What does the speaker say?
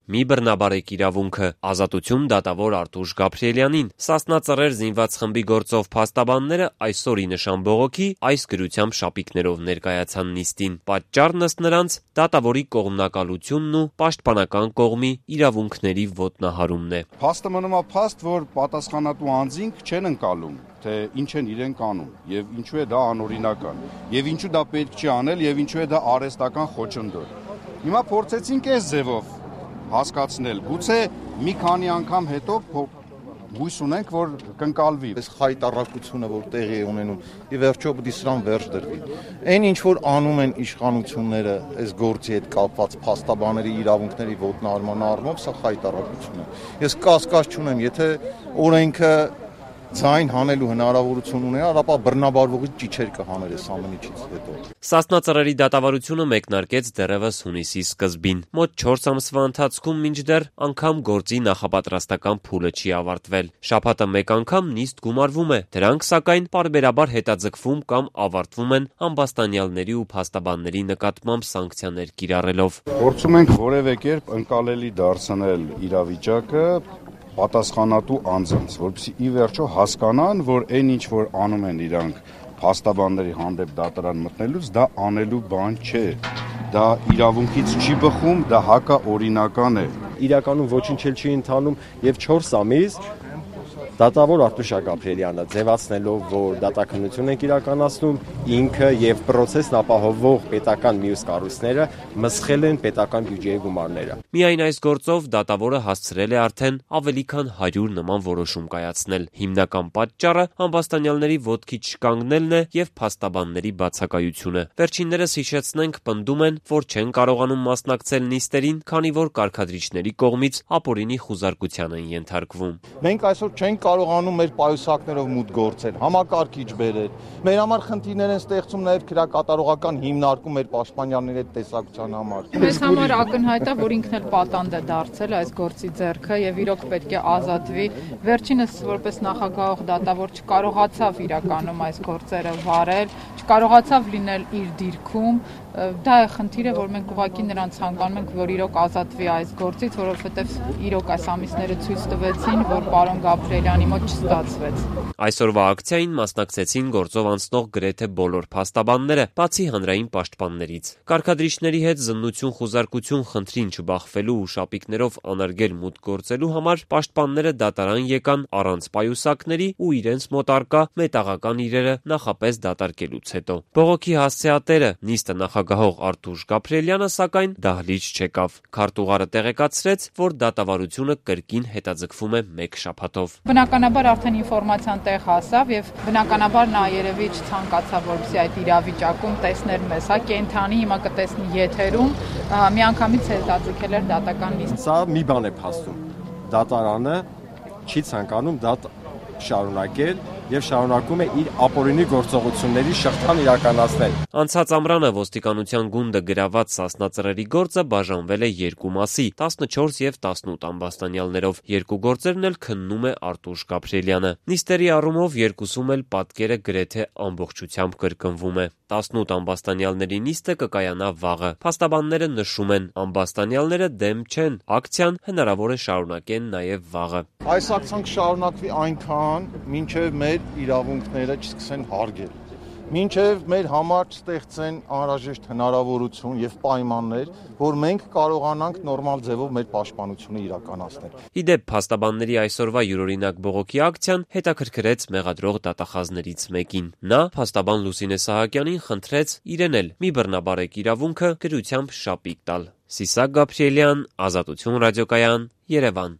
մի բռնաբարեք իրավունքը, ազատություն դատավոր Արտուշ Գաբրիելյանին։ Սասնա Ծռեր զինված խմբի գործով փաստաբանները այսօր ի նշան բողոքի այս գրությամբ շապիկներով ներկայացան նիստին։ Պատճառն ըստ նրանց դատավորի կողմնակալությունն ու պաշտպանական կողմի իրավունքների ոտնահարումն է։ Փաստը մնում է փաստ, որ պատասխանատու անձինք չեն ընկալում, թե ինչ են իրենք անում եւ ինչու է դա անօրինական եւ ինչու դա պետք չի անել եւ ինչու է դա արհեստական խոչընդոտ։ Հիմա փորձեցինք այս ձևով հասկացնել, գուցե մի քանի անգամ հետո հույս ունենք, որ կընկալվի։ Այս խայտառակությունը, որ տեղի է ունենում, ի վերջո պիտի սրան վերջ դրվի։ Այն ինչ որ անում են իշխանությունները այս գործի հետ կապված փաստաբանների իրավունքների ոտնահարման առումով, սա խայտառակություն է։ Ես կասկած չունեմ, եթե օրենքը ձայն հանելու հնարավորություն ուներ, ապա բռնաբարվողի ճիչեր կհաներ այս ամենից հետո։ Սասնա Ծռերի դատավարությունը մեկնարկեց դեռևս հունիսի սկզբին։ Մոտ 4 ամսվա ընթացքում մինչդեռ անգամ գործի նախապատրաստական փուլը չի ավարտվել։ Շաբաթը մեկ անգամ նիստ գումարվում է, դրանք սակայն պարբերաբար հետաձգվում կամ ավարտվում են ամբաստանյալների ու փաստաբանների նկատմամբ սանկցիաներ կիրառելով։ Փորձում ենք որևէ կերպ ընկալելի դարձնել իրավիճակը պատասխանատու անձանց, որպեսզի ի վերջո հասկանան, որ այն ինչ որ անում են իրանք փաստաբանների հանդեպ դատարան մտնելուց, դա անելու բան չէ։ Դա իրավունքից չի բխում, դա հակաօրինական է։ Իրականում ոչինչ էլ չի ընթանում եւ 4 ամիս դատավոր Արտուշ Գաբրիելյանը ձևացնելով, որ դատաքննություն են իրականացնում, ինքը եւ պրոցեսն ապահովող պետական մյուս կառույցները մսխել են պետական բյուջեի գումարները։ Միայն այս գործով դատավորը հասցրել է արդեն ավելի քան 100 նման որոշում կայացնել։ Հիմնական պատճառը ամբաստանյալների ոտքի չկանգնելն է եւ փաստաբանների բացակայությունը։ Վերջիններս հիշեցնենք պնդում են, որ չեն կարողանում մասնակցել նիստերին, քանի որ կարգադրիչների կողմից ապօրինի խուզարկության են ենթարկվում։ Մենք այսօր չենք կարողանում մեր պայուսակներով մուտք գործել, համակարգիչ բերել։ Մեր համար խնդիրներ են ստեղծում նաև քրեակատարողական հիմնարկում մեր պաշտպանյանների հետ տեսակցության համար։ Մեզ համար ակնհայտ է, որ ինքն էլ պատանդ է դարձել այս գործի ձեռքը եւ իրոք պետք է ազատվի։ Վերջինս որպես նախագահող դատավոր չկարողացավ իրականում այս գործերը վարել, չկարողացավ լինել իր դիրքում։ Դա է խնդիրը, որ մենք ուղղակի նրան ցանկանում ենք, որ իրոք ազատվի այս գործից, որովհետեւ իրոք այս ամիսները ցույց տվեցին, որ պարոն Գաբրիելյանի մոտ չստացվեց։ Այսօրվա ակցիային մասնակցեցին գործով անցնող գրեթե բոլոր փաստաբանները, բացի հանրային պաշտպաններից։ Կարգադրիչների հետ զննություն խուզարկություն խնդրին չբախվելու ու շապիկներով անարգել մուտք գործելու համար պաշտպանները դատարան եկան առանց պայուսակների ու իրենց մոտ առկա մետաղական իրերը նախապես դատարկելուց հետո։ Բողոքի հասցեատերը նիստը նախագահող Արտուշ Գաբրիելյանը սակայն դահլիճ չեկավ։ Քարտուղարը տեղեկացրեց, որ դատավարությունը կրկին հետաձգվում է մեկ շաբաթով։ Բնականաբար արդեն ինֆորմացիան տեղ հասավ եւ բնականաբար նա երևի չցանկացավ, որպեսզի այդ իրավիճակում տեսներ մեզ, հա կենթանի հիմա կտեսնի եթերում, միանգամից հետաձգել էր դատական նիստ։ Սա մի բան է փաստում։ Դատարանը չի ցանկանում դա շարունակել եւ շարունակում է իր ապօրինի գործողությունների շղթան իրականացնել։ Անցած ամռանը ոստիկանության գունդը գրաված Սասնա Ծռերի գործը բաժանվել է երկու մասի՝ 14 եւ 18 ամբաստանյալներով։ Երկու գործերն էլ քննում է Արտուշ Գաբրիելյանը։ Նիստերի առումով երկուսում էլ պատկերը գրեթե ամբողջությամբ կրկնվում է։ 18 ամբաստանյալների նիստը կկայանա վաղը։ Փաստաբանները նշում են, ամբաստանյալները դեմ չեն, ակցիան հնարավոր է շարունակեն նաեւ վաղը։ Այս ակցիան կշարունակվի այնքան, մինչև մեր իրավունքները չսկսեն հարգել։ Մինչև մեր համար չստեղծեն անհրաժեշտ հնարավորություն եւ պայմաններ, որ մենք կարողանանք նորմալ ձևով մեր պաշտպանությունը իրականացնել։ Իդեպ փաստաբանների այսօրվա յուրօրինակ բողոքի ակցիան հետաքրքրեց մեղադրող դատախազներից մեկին։ Նա փաստաբան Լուսինե Սահակյանին խնդրեց իրեն էլ մի բռնաբարեք իրավունքը գրությամբ շապիկ տալ։ Սիսակ Գաբրիելյան, Ազատություն ռադիոկայան, Երևան։